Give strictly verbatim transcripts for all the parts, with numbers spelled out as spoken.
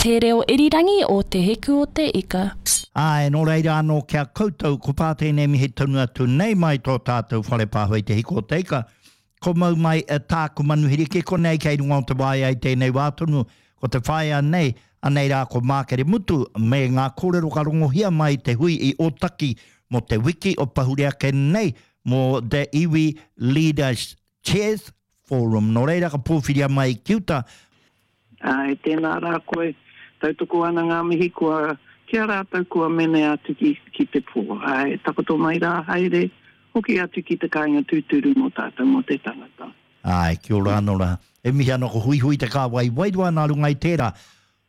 Te reo irirangi o Te Hiku o Te Ika. Āe, nō reira anō ki a koutou, ko tā tēnei mihi tonu atu nei mai tō tātou whare pāho i Te Hiku o Te Ika, ko mau mai e tāku manuhiri ki konei kei runga o te waea i tēnei wā tonu, ko te whaea nei, anei rā ko Mākere Mutu, me ngā kōrero ka rongohia mai te hui i Ōtaki mō te wiki o pahure ake nei mō The Iwi Leaders Chairs Forum. Nō reira ka pōwhiria mai ki uta. Āe, tēnā rā koe. Tautoko ana ngā mihi kua, ki a rātou kua mene atu ki, ki te pō. Āe, takoto mai rā, haere, hoki atu ki te kāinga tūturu mō tātou, mō te tangata. Āe, kia ora anō rā. E mihi ana ko Huihui te kāwai wairua nā runga i tērā.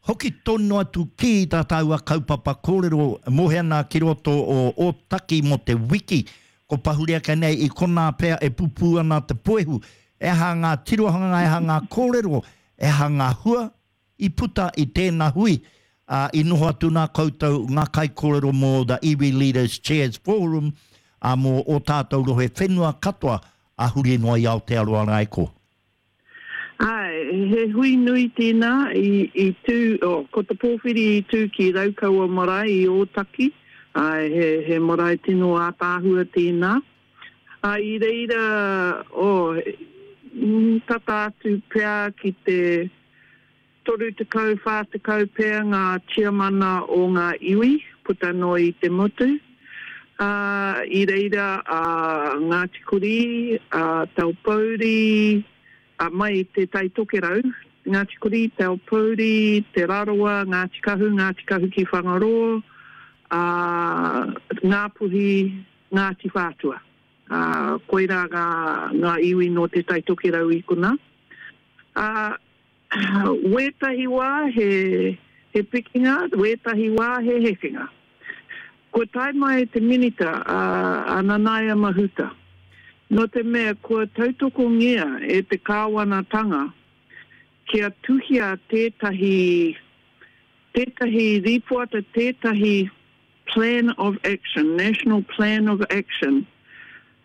Hoki tonu atu ki tā tāua kaupapa kōrero mohe ana ki roto o Ōtaki mō te wiki ko pahure ake nei i konā pea e pupū ana te puehu. E aha ngā tirohanga, e aha ngā kōrero, e aha ngā hua i puta i tēnā hui, ā, i noho atu nā koutou ngā kaikōrero mō The Iwi Leaders Chairs Forum, ā, mō ō tātou rohe whenua katoa, ā, huri noa i Aotearoa rā e ko. Āe, he hui nui tēnā i, i tū, oh, ko te pōwhiri i tū ki Raukawa Marae i Ōtaki, āe, he, he marae tino ātaahua tēnā. Ā, i reira, oh, tata atu pea ki te toru tekau, whā tekau pea ngā tiamana o ngā iwi puta noa i te motu. Ā, i reira a Ngāti Kurī, a Taupōuri, ā, mai i Te Tai Tokerau, Ngāti Kurī, Taupōuri, Te Rarawa, Ngāti Kahu, Ngāti Kahu ki Whangaroa, ā, Ngāpuhi, Ngāti Whātua. Ā, koirā ngā, ngā iwi nō Te Tai Tokerau i konā. Ā, Wētahi wā he, he pikinga, wētahi wā he hekenga. Kua tae mai te Minita, a, a Nanaia Mahuta, nō te mea kua tautokongia e te kāwanatanga kia tuhia tētahi, tētahi rīpoata, tētahi plan of action, national plan of action,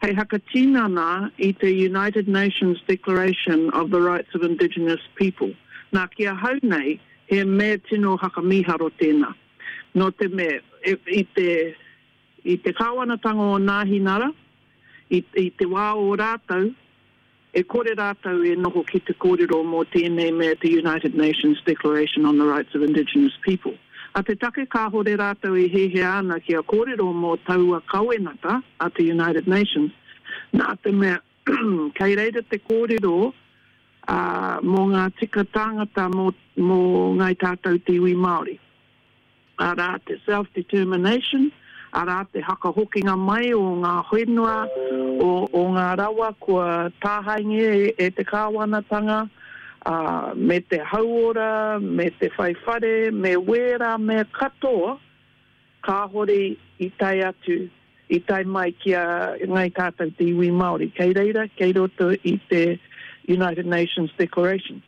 hei hakatinana i te United Nations Declaration of the Rights of Indigenous People. Nā, ki ahau nei, he mea tino hakamīharo tēnā. Nō te mea, i te, i te kāwanatanga o Nāhinara, i, i te wā o rātou, E kore rātou e noho ki te kōrero mō tēnei mea te United Nations Declaration on the Rights of Indigenous People. A te take kāhore rātou e hiahia ana kia kōrero mō taua kawenata a te United Nations, nā te mea kei reira te kōrero mō ngā tika tāngata mō Ngāi Tātou te iwi Māori. Arā te self-determination, arā te hakahokinga mai o ngā whenua, o, o ngā rawa kua tāhaengia e, e te kāwanatanga, ā, me te hauora, me te whai whare, me wērā mea katoa kāhore i tae atu, i tae mai ki a Ngāi Tātou te iwi Māori. Kei reira, kei roto i te United Nations Declaration.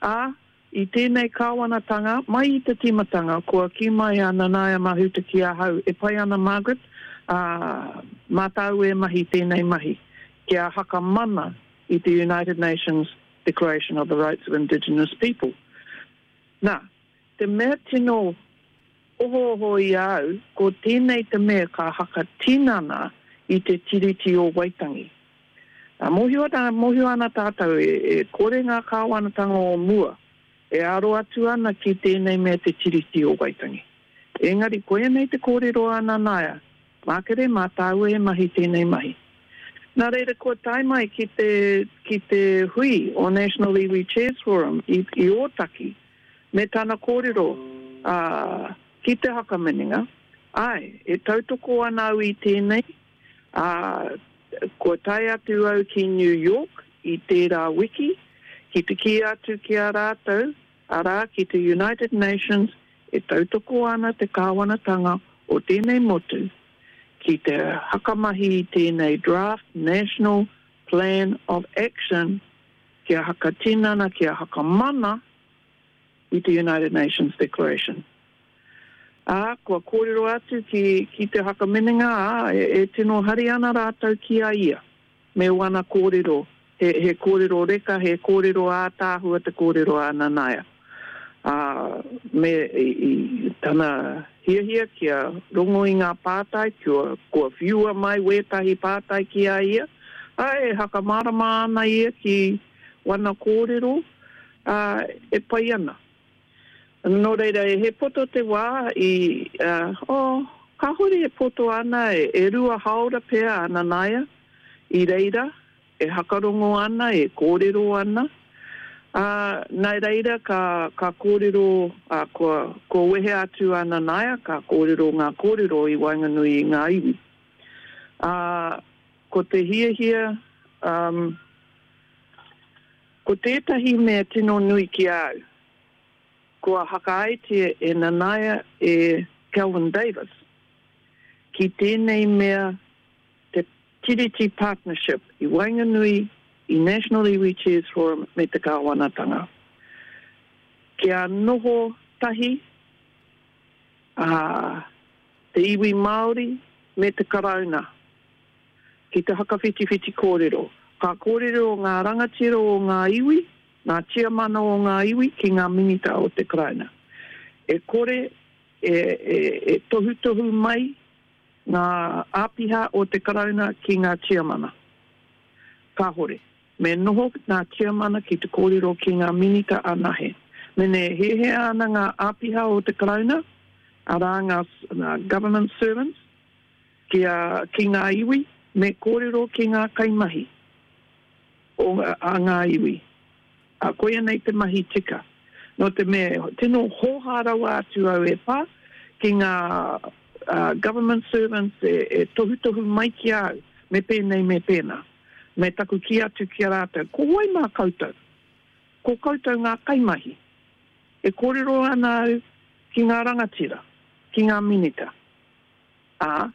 Ā, I tēnei kāwanatanga, mai i te tīmatanga, kua kī mai a Nanaia Mahuta ki ahau, e pai ana Margaret, ā, mā tāu e mahi tēnei mahi, kia hakamana i te United Nations Declaration of the Rights of Indigenous People. Nā, te mea tino ohooho i a au, ko tēnei te mea ka hakatinana i te Tiriti o Waitangi. Ā, mōhio ana, mōhio ana tātou e, e kore ngā kāwanatanga o mua e aro atu ana ki tēnei mea te Tiriti o Waitangi. Engari koia nei te kōrero a Nanaia, Mākere, mā tāua e mahi tēnei mahi. Nā reira kua tae mai ki te, ki te hui o National Iwi Chairs Forum i, i Ōtaki me tana kōrero, ā, ki te Hakaminenga, āe, e tautoko ana au i tēnei, ā, kua tae atu au ki New York i tērā wiki ki te kī atu ki a rātou, arā, ki te United Nations e tautoko ana te kāwanatanga o tēnei motu ki te hakamahi i tēnei draft National Plan of Action kia hakatinana, kia hakamana i te United Nations Declaration. Ā, kua kōrero atu ki, ki te Whakaminenga, ā, e, e tino hari ana rātou ki a ia, me wana kōrero, he, he kōrero reka, he kōrero ātaahua te kōrero a Nanaia. Ā, me i, i tana hiahia kia rongo i ngā pātai, kua, kua whiua mai wētahi pātai ki a ia, ā, e hakamārama ana ia ki wana kōrero, ā, e pai ana. Nō reira, he poto te wā i, ā, oh, kāhore e poto ana, e, e rua haora pea a Nanaia i reira, e hakarongo ana, e kōrero ana. Ā, nā reira ka, ka kōrero, ā, kua, kua wehe atu a Nanaia, ka kōrero ngā kōrero i waenganui i ngā iwi. Ā, ko te hiahia, um, ko tētahi mea tino nui ki a au, kua hakaaetia e Nanaia e Kelvin Davis, ki tēnei mea te Tiriti Partnership i waenganui i National Iwi Chairs Forum me te kāwanatanga. Kia noho tahi a te iwi Māori me te Karauna ki te hakawhitiwhiti kōrero. Ka kōrero ngā rangatira o ngā iwi, ngā tiamana o ngā iwi ki ngā minita o te Karauna. E kore e, e, e tohutohu mai ngā āpiha o te Karauna ki ngā tiamana. Kāhore. Me noho ngā tiamana ki te kōrero ki ngā minita anahe. Mene hehea ana ngā āpiha o te Karauna, arā ngā, ngā government servants, ki, a, ki ngā iwi, me kōrero ki ngā kaimahi o a ngā iwi. A, koia nei te mahi tika. Nō te mea, tino hōhā rawa atu au e pā ki ngā uh, government servants e, e tohutohu mai ki a au, me pēnei, me pēnā. Me taku kī atu ki a rātou, ko wai mā koutou? Ko koutou ngā kaimahi. E kōrero ana au ki ngā rangatira, ki ngā minita. Ā,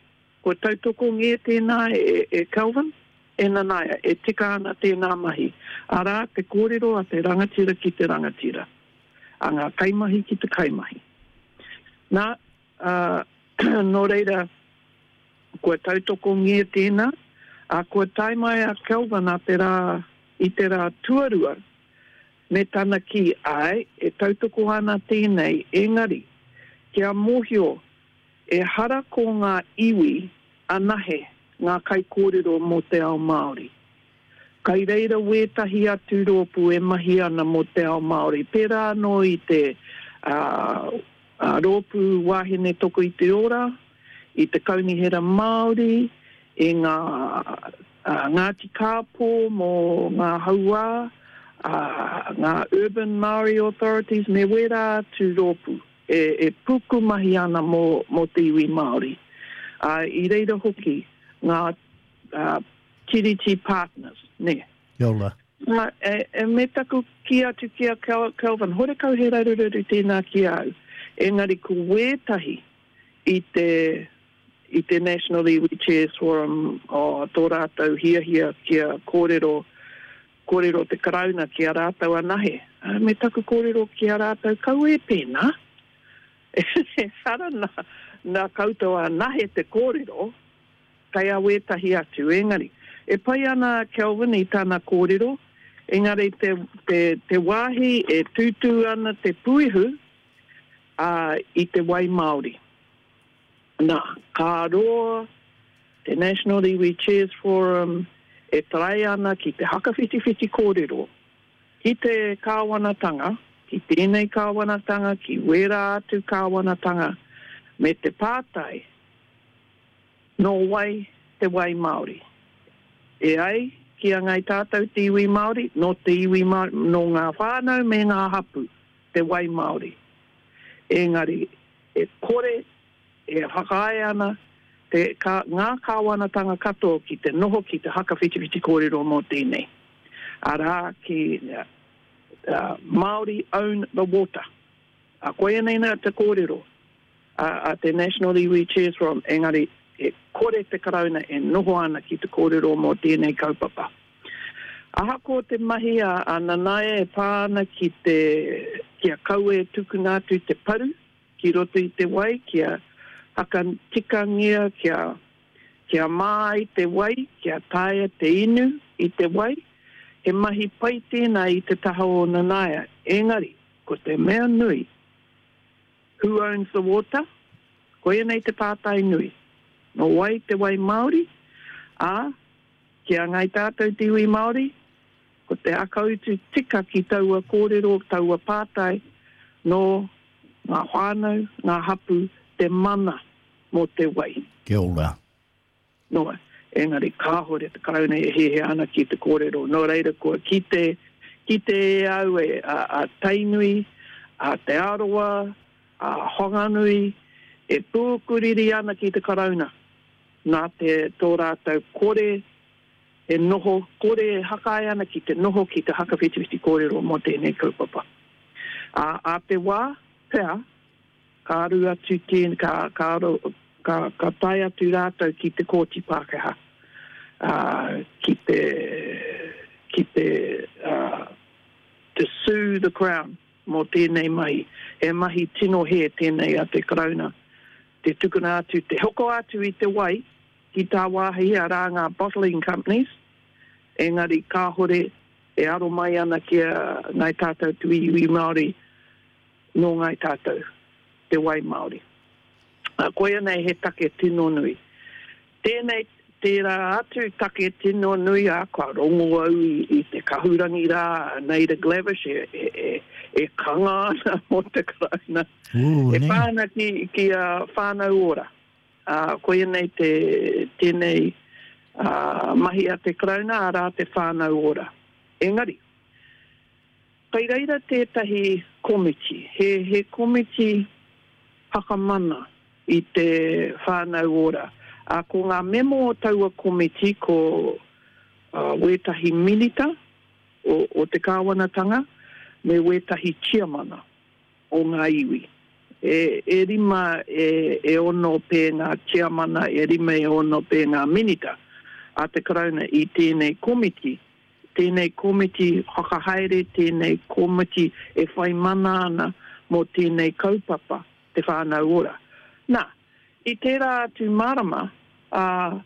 kua tautokongia tēnā e, e Kelvin, e Nanaia, e tika ana tēnā mahi. Arā, te kōrero a te rangatira ki te rangatira, a ngā kaimahi ki te kaimahi. Nā, uh, nō reira, kua tautokongia tēnā, a kua tae mai a Kelvin a te rā, i te rā tuarua, me tana kī, ai, e tautoko ana tēnei, engari, kia mōhio, e hara ko ngā iwi anahe ngā kaikōrero mō te ao Māori. Kai reira wētahi atu rōpū e mahi ana mō te ao Māori. Pērā anō i te uh, uh, rōpū Wāhine Toko i te Ora, i te Kaunihera Māori, i ngā uh, Ngāti Kāpō mō ngā hauā, uh, ngā Urban Māori Authorities, me wērā atu rōpū e, e puku mahi ana mō, mō te iwi Māori. Uh, i reira hoki ngā uh, Tiriti Partners, ne. Kia ora. Uh, e, e me taku kī atu ki a Kel Kelvin, horekau he raruraru tēnā ki au. Engari ko wētahi i te, i te National Iwi Chairs Forum o tō rātou hiahia kia kōrero, kōrero te Karauna ki a rātou anahe. Uh, me taku kōrero ki a rātou, kau e pēnā. Ehara nā, nā koutou anahe te kōrero, kei a wētahi atu. Engari, e pai ana Kelvin i tana kōrero, engari te, te, te wāhi e tūtū ana te puihu uh, i te wai Māori. Nā, ka roa te National Iwi Chairs Forum e tarai ana ki te hakawhitiwhiti kōrero, ki te kāwanatanga, ki tēnei kāwanatanga, ki wērā atu kāwanatanga, me te pātai, nō wai te wai Māori. E ai ki a ngai tātou te iwi Māori, nō te iwi Māori, nō ngā whānau me ngā hapu, te wai Māori. Engari, e kore, e whakaae ana te, ka, ngā kāwanatanga katoa ki te noho ki te hakawhitiwhiti kōrero mō tēnei. Arā, ki uh, Māori own the water. A koia nei nā te kōrero a, a te National Iwi Chairs Forum, engari e kore te Karauna e noho ana ki te kōrero mō tēnei kaupapa. Ahakoa te mahi a, a Nanaia e pā ana ki te, kia kaua e tukuna atu te paru, ki roto i te wai, kia hakatikangia, kia, kia mā ai te wai, kia taea te inu i te wai, he mahi pai tēnā i te taha o Nanaia. Engari, Ko te mea nui, who owns the water? Koia nei te pātai nui. Nō wai te wai Māori? Ā, ki a Ngāi Tātou te iwi Māori, ko te akautu tika ki taua kōrero, taua pātai, nō ngā whānau, ngā hapū, te mana mō te wai. Kia ora. Noa, engari kāhore te Karauna e hiahia ana ki te kōrero. Nō reira kua kite, kite e au e a, a Tainui, a Te Arawa, a Whanganui, e pūkuriri ana ki te Karauna. Nā te tō rātou kore e noho, kore e hakae ana ki te noho ki te hakawhitiwhiti kōrero mō tēnei kaupapa. Ā, ā te wā, pea, ka aru atu tēn, ka, ka, aro, ka, ka tae atu rātou ki te kōti Pākehā, ā, ki te, ki te, uh, to sue the Crown mō tēnei mahi. He mahi tino hē tēnei a te Karauna. Te tukuna atu, te hoko atu i te wai ki tāwāhi, arā ngā bottling companies, engari kāhore e aro mai ana ki a Ngāi Tātou te iwi Māori, nō Ngāi Tātou te wai Māori. Uh, koia nei he take tino nui. Tēnei, tērā atu take tino nui, ā, kua rongo au i, i te kahurangi rā, a Naida Glavish e, e, e, e kanga ana mō te Karauna. Ooh, E nē. pā ana ki, ki a Whānau Ora. Uh, koia nei te, tēnei uh, mahi a te Karauna, arā te Whānau Ora. Engari, kei reira tētahi komiti, he, he komiti whakamana i te Whānau Ora. Uh, ko ngā memo o taua komiti ko uh, wētahi minita o, o te kāwanatanga me wētahi tiamana o ngā iwi. E, e rima e, e ono pē ngā tiamana, e rima e ono pē ngā minita a te Karauna i tēnei komiti. Tēnei komiti whakahaere, tēnei komiti e whai mana ana mō tēnei kaupapa, te Whānau Ora. Nā, i tērā atu marama, uh,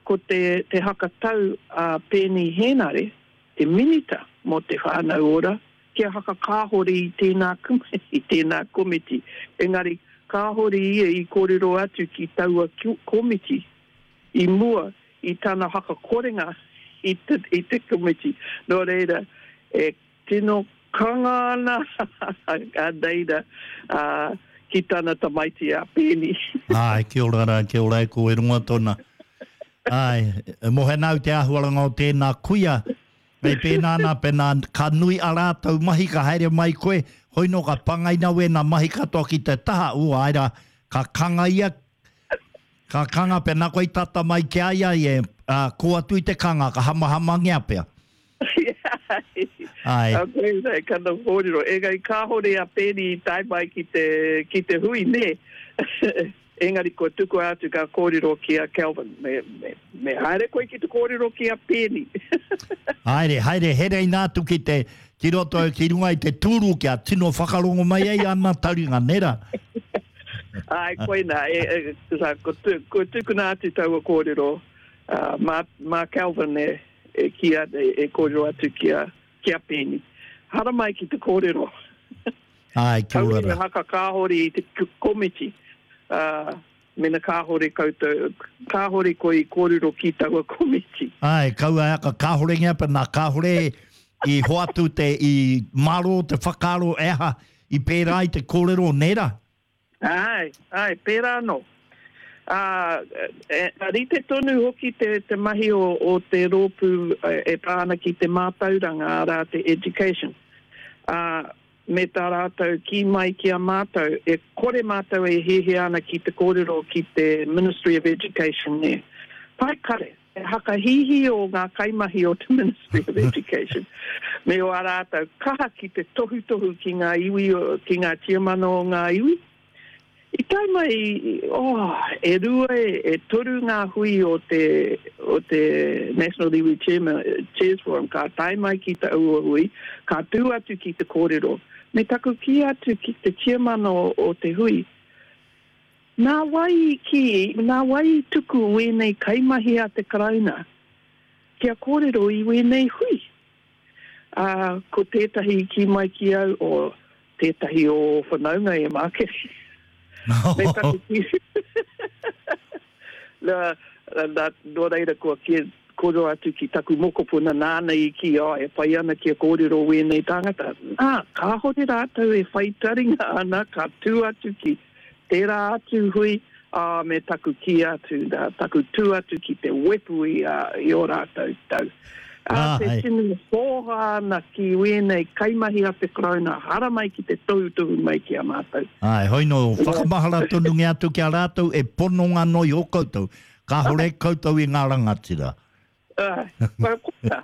ko te, te hakatau a Peeni Henare, te minita mō te Whānau Ora, kia hakakāhore i tēnā, i tēnā komiti. Engari, kāhore ia i kōrero atu ki taua komiti i mua i tana hakakorenga i te, i te komiti. Nō reira, e tino kanga ana a Naida uh, ki tana tamaiti a Peeni. Ai, kia ora rā, kia ora e ko e runga tōna. Ai, e mohe nau te āhuaranga o tēnā kuia, me pēnā nā, pēnā ka nui a rātou mahi ka haere mai koe, hoi no ka pangaina wēnā mahi katoa ki te taha, ū, ai rā, ka kanga ia, ka kanga pēnā koe i tata mai ki a ia, e, uh, ko atu i te kanga, ka hamahamangia pea. Ai. Okay, nei, kana kōrero. Engari kāhore a Peeni i tae mai ki te, ki te hui, nē. Engari kua tukua atu ka kōrero ki a Kelvin. Me, me, me haere koe ki te kōrero ki a Peeni. Haere, haere, here ina atu ki te, ki roto, ki runga i te tūru kia tino whakarongo mai ai ana taringa, nē rā? Ai, koina, e, e, ko, tu, ko tukuna atu taua kōrero, uh, mā, mā Kelvin e, e, ki a, e, e kōrero atu ki a, ki a Peeni. Haramai ki te kōrero. Ai, kia ora Kaua rā. haka kāhore i te komiti. Uh, mena kāhore koutou, kāhore koe i kōrero ki taua komiti. Ai, kaua haka kāhore ngea, pēnā kāhore i hoatu te, i maro te whakaaro e aha, i pērā i te kōrero, nē rā? Ai, ai, pērā anō. Uh, e, rite tonu hoki te, te mahi o, o te rōpū e, e pā ana ki te mātauranga, arā te education. Uh, me tā rātou ki mai ki a mātou, e kore mātou e hiahia ana ki te kōrero ki te Ministry of Education, nē. Pai kare, e hakahihi o ngā kaimahi o te Ministry of Education. Me o a rātou kaha ki te tohutohu ki ngā iwi, ki ngā tiamana o ngā iwi. I tae mai, oh, e rua, e, e toru ngā hui o te, o te National Iwi Chairman, Chairs Forum, ka tae mai ki te aua hui, ka tū atu ki te kōrero. Me taku ki atu ki te tiamana o, o te hui, nā wai i ki, nā wai i tuku wēnei kaimahi a te Karauna kia kōrero i wēnei hui. Uh, ko tētahi ki mai ki au o Tētahi o whanaunga e Mākere. Me taku kī. Nā, nā, nō reira kua kī, kōrero atu ki taku mokopuna nāna i kī, oh, e pai ana kia kōrero wēnei tāngata. Nā, kāhore rātou e whai taringa ana, ka tū atu ki tērā atu hui, ā, me taku kī atu, nā, taku tū atu ki te wepu i, ā, i ō rātou tau. Ā, te tino hōhā ana ki wēnei kaimahi a te Karauna, haramai ki te tohutohu mai ki a mātou. Āe, hoi nō, whakamahara tonungia atu ki a rātou e pononga noa iho koutou, kāhore koutou i ngā rangatira. Āe, kua kota.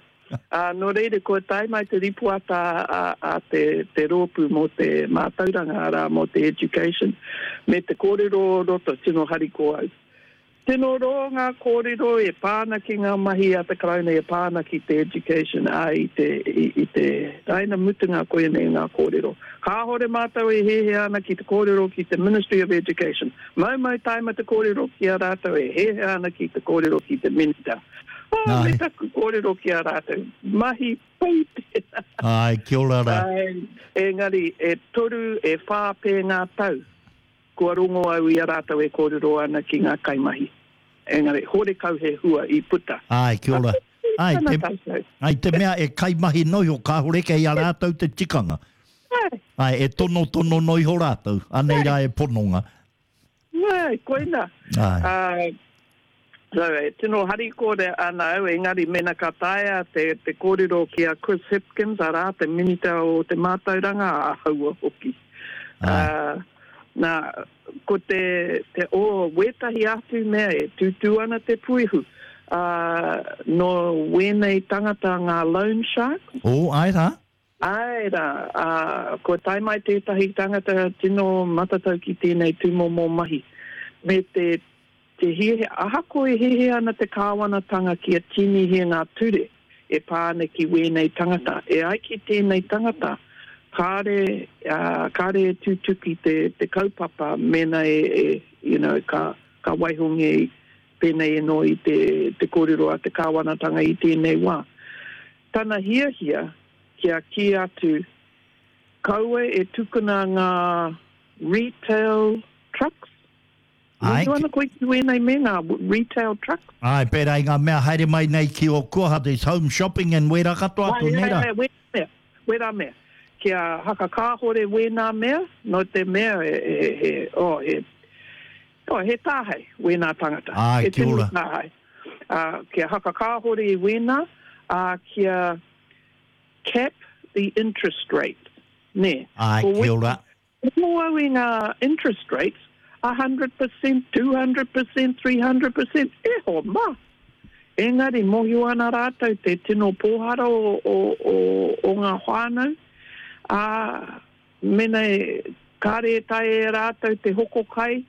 Ā, nō reira, kua tae mai te ripoata a, a te, te rōpū mō te mātauranga, arā, mō te education, me te kōrero o roto, tino harikoa au. Tino roa ngā kōrero e pā ana ki ngā mahi a te Karauna e pā ana ki te education, ā, i te, i, i te raina mutunga koinei ngā kōrero. Kāhore mātou e hēhea ana ki te kōrero ki te Ministry of Education. Maumau taima te kōrero ki a rātou e hēhea ana ki te kōrero ki te Minita. Ā, me taku kōrero ki a rātou, mahi pai tēnā. Āe, kia ora rā. Āe, engari e toru, e whā pē ngā tau. Kua rongo au i a rātou e kōrero ana ki ngā kaimahi. Engari, horekau he hua i puta. Āe, kia ora. Āe, te, āe, te mea e kaimahi noa iho, kāore kei a rātou te tikanga. Āe. Āe, e tonotono noa iho rātou, anei rā e pononga. Āe, koina. Āe. Ā, so, e tino harikoa ana au, engari mēnā ka taea te, te kōrero ki a Chris Hipkins, arā, te Minita o te Mātauranga, āhaua hoki. Āe. Ā, nā, ko te, te o wētahi atu mea e tūtū ana te puehu, ā, nō wēnei tangata ngā loan sharks. O, āe rā? Āe rā, ā, kua tae mai tētahi tangata tino matatau ki tēnei tūmomo mahi. Me te, te hiahia, ahakoa e hiahia ana te kāwanatanga kia tīnihia ngā ture e pā ana ki wēnei tangata. E ai ki tēnei tangata, kāre, ā, kāre e tutuki te, te kaupapa mēnā e, e, you know, ka, ka waihongia pēnei anō i te, te kōrero a te kāwanatanga i tēnei wā. Tana hiahia kia kī atu, kaua e tukuna ngā retail trucks. Āe. Mōhio ana koe ki wēnei me ngā retail trucks? Āe, pērā i ngā mea haere mai nei ki ō kuaha, there's home shopping and wērā katoa atu, nē rā? Āe, āe, wērā mea, wērā mea. Kia hakakāhore wēnā mea, nō te mea he, he, he, oh, he, oh, he tāhei wēnā tangata. Āe, He kia tino ora. tāhei. Ā, kia hakakāhore i wēnā, ā, kia cap the interest rate, nē. Āe, Ko kia ora. Mō au i ngā interest rates, a hundred percent, two hundred percent, three hundred percent, e ho ma. Engari, mōhio ana rātou te tino pōhara o, o, o, o ngā whānau, ā, mena e, kāre e taea e rātou te hoko kai,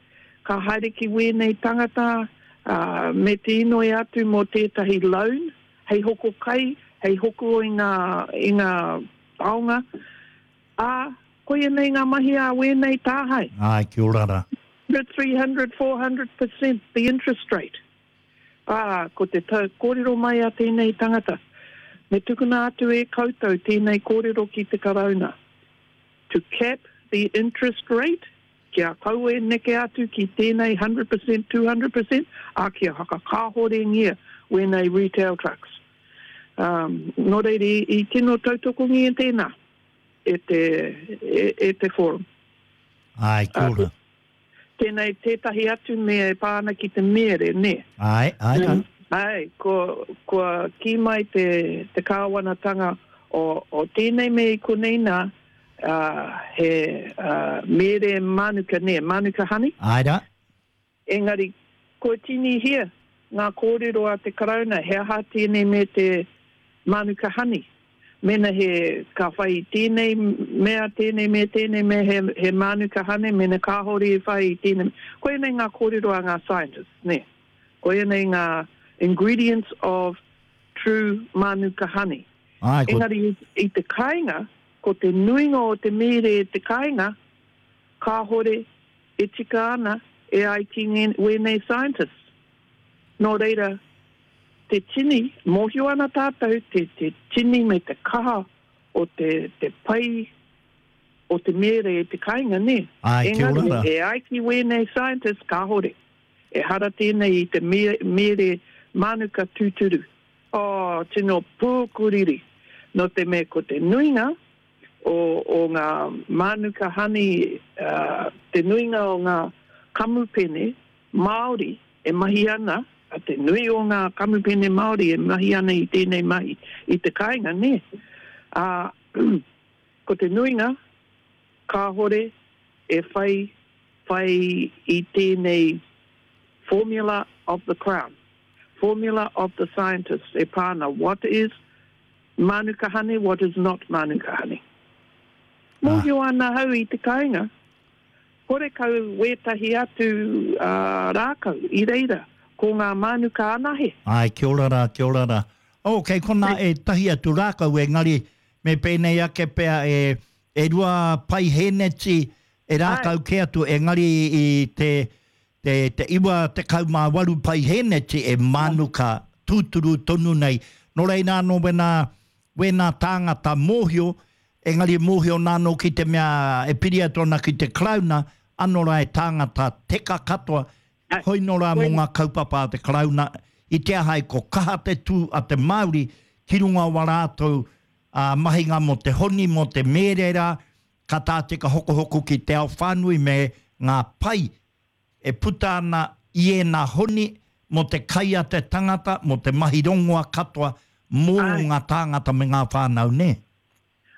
ka haere ki wēnei tangata, ā, me te inoi atu mō tētahi loan, hei hoko kai, hei hoko i ngā, i ngā taonga, ā, koia nei ngā mahi a wēnei tāhae. Āe, kia ora rā. Three hundred, four hundred percent the interest rate. Ā, ko te tau, kōrero mai a tēnei tangata. Me tukuna atu e koutou tēnei kōrero ki te Karauna. To cap the interest rate, kia kaua e neke atu ki tēnei hundred percent, two hundred percent, ā, kia hakakāhorengia wēnei retail trucks. Um, nō reira, i, i tino tautokongia tēnā e te, e, e te forum. Āe, kia ora. Tēnei tētahi atu mea e pā ana ki te mere, nē? Āe, āe rā. Āe, ko, kua kī mai te, te kāwanatanga o, o tēnei me i konei nā, ā, he, ā, mere manuka, nē, manuka honey. Āe rā. Engari, kua tinihia ngā kōrero a te Karauna, he aha tēnei me te manuka honey. Mena he ka whai i tēnei mea, tēnei mea, tēnei mea, he, he manuka honey, mena kāhore e whai i tēnei. Koia nei ngā kōrero a ngā scientists, nē. Koia nei ngā ingredients of true manuka honey. Āe, ko Engari i te kāinga, ko te nuinga o te mere e te kāinga, kāhore e tika ana e ai ki ngē, wēnei scientists. Nō reira, te tini, mōhio ana tātou, te, te tini me te kaha o te, te pai o te mere e te kainga, nē? Ai, kia ora Engari, rā. e ai ki wēnei scientists, kāhore. Ehara tēnei i te mere mānuka tūturu. Oh, tino pūkuriri. Nō te mea ko te nuinga o, o ngā mānuka honey, uh, te nuinga o ngā kamupene Māori e mahi ana, a te nui o ngā kamupene Māori e mahi ana i tēnei mahi i te kāinga, nē? Ā, ko te nuinga, kāhore e whai, whai i tēnei formula of the crown, formula of the scientists e pā ana what is mānuka honey, what is not mānuka honey. Mōhio ana hau i te kāinga, horekau wētahi atu uh, rākau i reira, ko ngā mānuka anahe. Ai, kia ora rā, kia ora rā. Oh, kei konā e tahi atu rākau, engari me pēnei ake pea e, e rua paihēneti e rākau kē atu, engari i te, te, te iwa tekau mā waru paihēneti e mānuka tūturu tonu nei. Nō reira anō wena, wena tāngata mōhio, engari mōhio nāno ki te mea e piri atu ana ki te Karauna, anō rā e tāngata teka katoa, hoi nō rā mō ngā kaupapa a te Karauna, i te aha e ko kaha te tū a te Māori ki runga o a rātou uh, mahinga mō te honi, mō te mērera, ka tā teka hokohoko ki te ao whānui me ngā pai e puta ana i ēnā honi mō te kai a te tangata, mō te mahi rongoa katoa, mō Ai. ngā tāngata me ngā whānau, nē?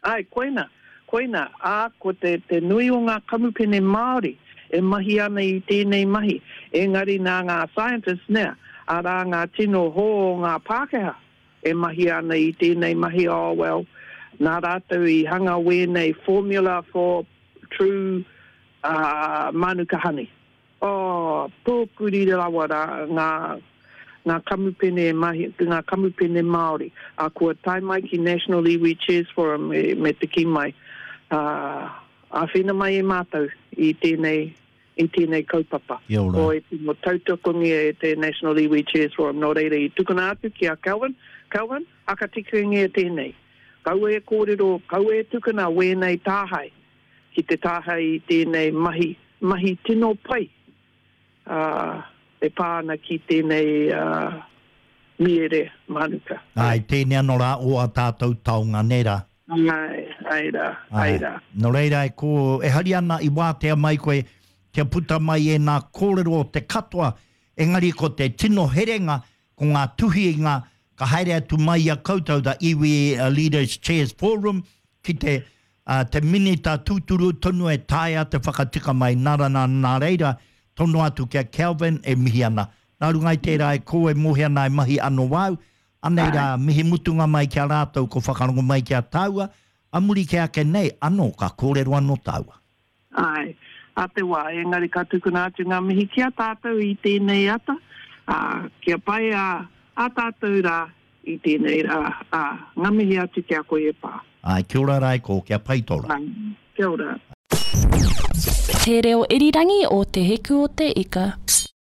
Ai, koina, koina, ā, ko te, te nui o ngā kamupene Māori e mahi ana i tēnei mahi, engari nā ngā scientists nea, arā ngā tino hō o ngā Pākehā e mahi ana i tēnei mahi, oh well, nā rātou i hanga wēnei formula for true uh, mānuka honey. Oh, pōkuri rawa rā ngā, ngā kamupene mahi, ngā kamupene Māori. A kua tae mai ki National Iwi Chairs Forum me, me te kī mai. Uh, āwhina mai e mātou i tēnei, i tēnei kaupapa. Kia ora. Ko e tino tautokongia e te National Iwi Chairs Forum. Nō reira i tukuna atu ki a Kelvin. Kelvin, hakatikangia tēnei. Kaua e kōrero, kaua e tukuna wēnei tāhae ki te tāhae i tēnei mahi, mahi tino pai. Uh, e pā ana ki tēnei uh, miere mānuka. Ai, tēnei anō rā o a tātou taonga, nē rā? Ai, ai rā, ai rā. Nō reira e ko, e hari ana i wātea mai koe kia puta mai e nā kōrero o te katoa, engari ko te tino herenga, ko ngā tuhinga, ka haere atu mai i a koutou, the Iwi Leaders Chairs Forum, ki te, uh, te minita tūturu tonu e taea te whakatika mai nā rana nā reira, tono atu ki a Kelvin e mihi ana. Nā runga i tērā e ko e mohi ana e mahi anō wau, anei rā mihi mutunga mai ki a rātou ko whakarongo mai ki a tāua, a muri ke ake nei, anō ka kōrero anō tāua. Ai, a te wā, engari ka tukuna atu ngā mihi ki a tātou i tēnei ata, ā, kia pai a, a tātou rā i tēnei rā, ā, ngā mihi atu ki a koe e pā. Ai, kia ora rā e ko, kia pai tō rā. Ai, kia ora. Te reo irirangi o Te Hiku o Te Ika.